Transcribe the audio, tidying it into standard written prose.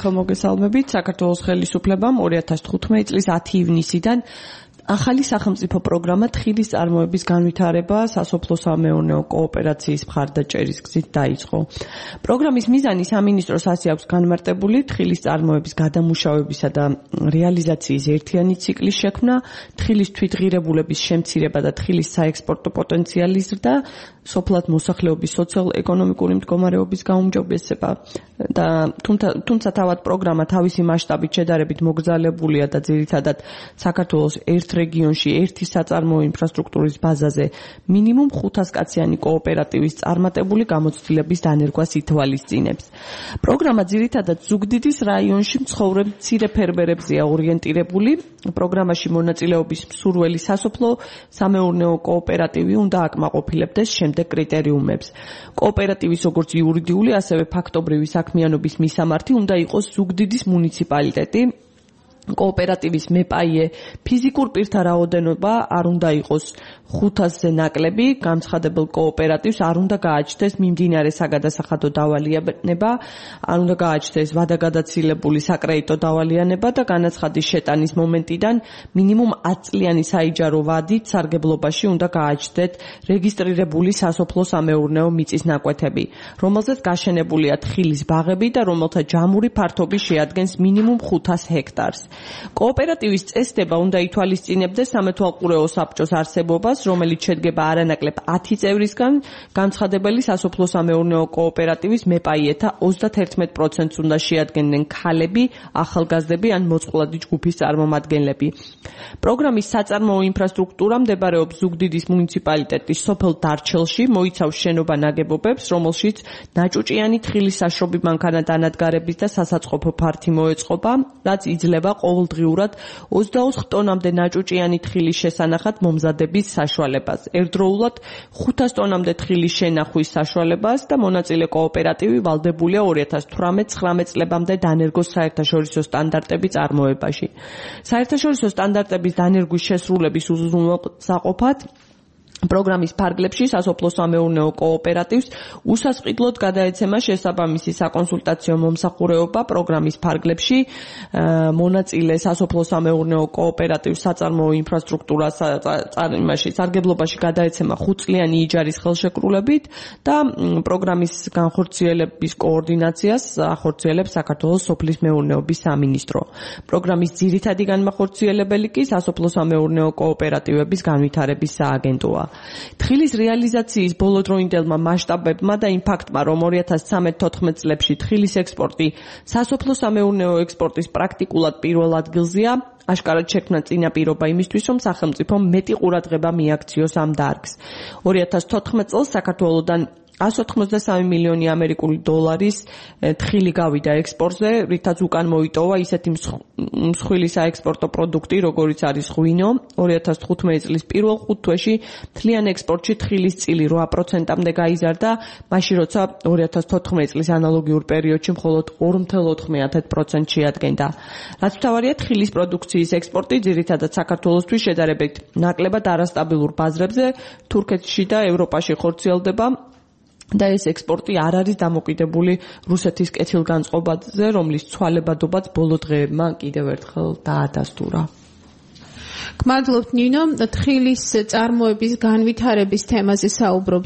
მოგესალმებით. საქართველოს ხელისუფლებამ 2015 წლის 10 ივნისიდან ახალი სახელმწიფო პროგრამა თხილის წარმოების განვითარება სასოფლო-სამეურნეო კოოპერაციის მხარდაჭერის გზით დაიწყო. პროგრამის მიზანი სამინისტროს ასიაქვს განმარტებული თხილის წარმოების გადამუშავებისა და რეალიზაციის ერთიანი ციკლის შექმნა, თხილის თვითღირებულების შემცირება და თხილის საექსპორტო პოტენციალის ზრდა, სოფლად მოსახლეობის სოციალ-ეკონომიკური მდგომარეობის გაუმჯობესება და თუმცა თავად პროგრამა თავისი მასშტაბით შედარებით მოგზაურებულია და ძირითადად საქართველოს ერთ რეგიონში ერთი საწარმოო ინფრასტრუქტურის ბაზაზე მინიმუმ 500 კაციანი კოოპერატივის წარმატებული გამოცდილების დანერგვას ითვალისწინებს. პროგრამა ძირითადად ზუგდიდის რაიონში მცხოვრებ მცირე ფერმერებზეა ორიენტირებული. პროგრამაში მონაწილეობის მსურველი სასოფლო-სამეურნეო კოოპერატივი უნდა აკმაყოფილებდეს შემდეგ კრიტერიუმებს. კოოპერატივის როგორც იურიდიული, ასევე ფაქტობრივი საქმიანობის მისამართი უნდა იყოს ზუგდიდის მუნიციპალიტეტი. კოოპერატივის მეპაიე ფიზიკურ პირთა რაოდენობა არ უნდა იყოს 500-ზე ნაკლები, განცხადებელ კოოპერატივს არ უნდა გააჩნდეს მიმდინარე საგადასახადო დავალიანება, არ უნდა გააჩნდეს ვადაგადაცილებული საკრედიტო დავალიანება და განაცხადის შეტანის მომენტიდან მინიმუმ 10 წლიანი საიჯარო ვადით სარგებლობაში უნდა გააჩნდეთ რეგისტრირებული სასოფლო-სამეურნეო მიწის ნაკვეთები, რომელზეც გაშენებულია თხილის ბაღები და რომელთა ჯამური ფართობი შეადგენს მინიმუმ 500 ჰექტარს. კოოპერატივის წესდება უნდა ითვალისწინებდეს სამეთვალყურეო საბჭოს არსებობას, რომელიც შედგება არანაკლებ 10 წევრისგან, განცხადებელი სასოფლო-სამეურნეო კოოპერატივის მეპაიეთა 31%-ს უნდა შეადგენდნენ ქალები, ახალგაზრდები ან მოწყვლადი ჯგუფის წარმომადგენლები. პროგრამის საწარმოო ინფრასტრუქტურა მდებარეობს ზუგდიდის მუნიციპალიტეტის სოფელ დარჩელში, მოიცავს შენობა-ნაგებობებს, რომელშიც ნაჭუჭიანი თხილის საშრობი მანქანა-დანადგარების და სასაწყობო ფართი მოეწყობა, რაც იძლევა ყოველდღიურად 24 ტონამდე ნაჭუჭიანი თხილის შესანახად მომზადების საშუალებას, ერთდროულად 500 ტონამდე თხილის შენახვის საშუალებას და მონაწილე კოოპერატივი ვალდებულია 2018-19 წლებამდე დანერგოს საერთაშორისო სტანდარტების წარმოებაში. საერთაშორისო სტანდარტების დანერგვის შესრულების უზრუნველსაყოფად პროგრამის ფარგლებში სასოფლო-სამეურნეო კოოპერატივს უსასყიდლოდ გადაეცემა შესაბამისი საკონსულტაციო მომსახურეობა. პროგრამის ფარგლებში მონაწილე სასოფლო-სამეურნეო კოოპერატივს საწარმოო ინფრასტრუქტურას სარგებლობაში გადაეცემა 5 წლიანი იჯარის ხელშეკრულებით და პროგრამის განხორციელების კოორდინაციას ახორციელებს საქართველოს სოფლის მეურნეობის სამინისტრო. პროგრამის ძირითადი განმახორციელებელი კი სასოფლო-სამეურნეო კოოპერატივების განვითარების სააგენტოა. თხილის რეალიზაციის ბოლოდროინდელმა მასშტაბებმა და იმ ფაქტმა, რომ 2013-14 წლებში თხილის ექსპორტი სასოფლო-სამეურნეო ექსპორტის პრაქტიკულად პირველ ადგილზეა, აშკარად შექმნა წინაპირობა იმისთვის, რომ სახელმწიფომ მეტი ყურადღება მიაქციოს ამ დარგს. 2014 წელს საქართველოდან 183 მილიონი ამერიკული დოლარის თხილი გავიდა ექსპორტზე, რითაც უკან მოიტოვა ისეთი მსხვილი საექსპორტო პროდუქტი, როგორიც არის ღვინო. 2015 წლის პირველ 5 თვეში მთლიან ექსპორტში თხილის წილი 8%-მდე გაიზარდა, მაშინ როცა 2014 წლის ანალოგიურ პერიოდში მხოლოდ 2,9% შეადგენდა. რაც მთავარია, თხილის პროდუქციის ექსპორტი ძირითადად საქართველოსთვის შედარებით ნაკლებად არასტაბილურ ბაზრებზე თურქეთში და ევროპაში ხორციელდება. და ეს ექსპორტი არ არის დამოკიდებული რუსეთის კეთილგანწყობაზე, რომლის ცვალებადობაც ბოლო დღეებმა კიდევ ერთხელ დაადასტურა. გმადლობთ ნინო, თხილის წარმოების განვითარების თემაზე საუბრობთ.